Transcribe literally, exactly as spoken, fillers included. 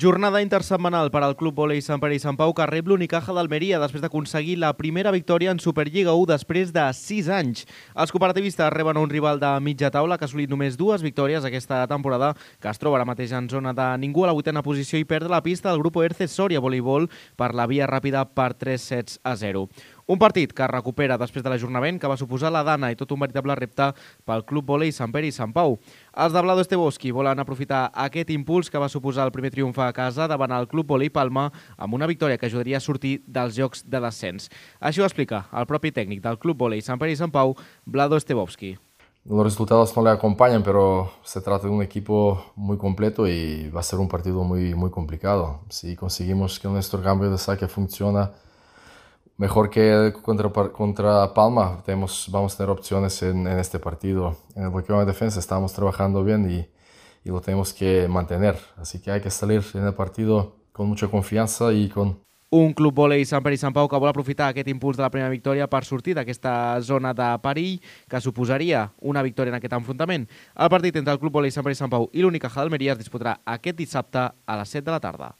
Jornada intersetmanal per al Club Vòlei Sant Pere i Sant Pau que rep l'Unicaja d'Almeria després d'aconseguir la primera victòria en Superliga u després de sis anys. Els cooperativistes reben un rival de mitja taula que ha assolit només dues victòries aquesta temporada, que es troba ara mateix en zona de ningú a la vuitena posició i perd la pista del grup Erce Soria Voleibol per la via ràpida per tres sets a zero. Un partit que es recupera després de l'ajornament que va suposar la dana i tot un veritable repte pel Club Vòlei Sant Pere i Sant Pau. Els de Vlado Estevoski volen aprofitar aquest impuls que va suposar el primer triomf a casa davant el Club Vòlei Palma amb una victòria que ajudaria a sortir dels jocs de descens. Així ho explica el propi tècnic del Club Vòlei Sant Pere i Sant Pau, Vlado Estevoski. Los resultados no le acompañan, pero se trata de un equipo muy completo y va a ser un partido muy, muy complicado. Si conseguimos que nuestro cambio de saque funcione mejor que contra, contra Palma, tenemos, vamos a tener opciones en, en este partido. En el bloqueo de defensa estamos trabajando bien y, y lo tenemos que mantener. Así que hay que salir en el partido con mucha confianza y con... Un Club Vòlei Sant Pere i Sant Pau que vol aprofitar aquest impuls de la primera victòria per sortir d'aquesta zona de perill que suposaria una victòria en aquest enfrontament. El partit entre el Club Vòlei Sant Pere i Sant Pau i l'Unicaja d'Almeria es disputarà aquest dissabte a les set de la tarda.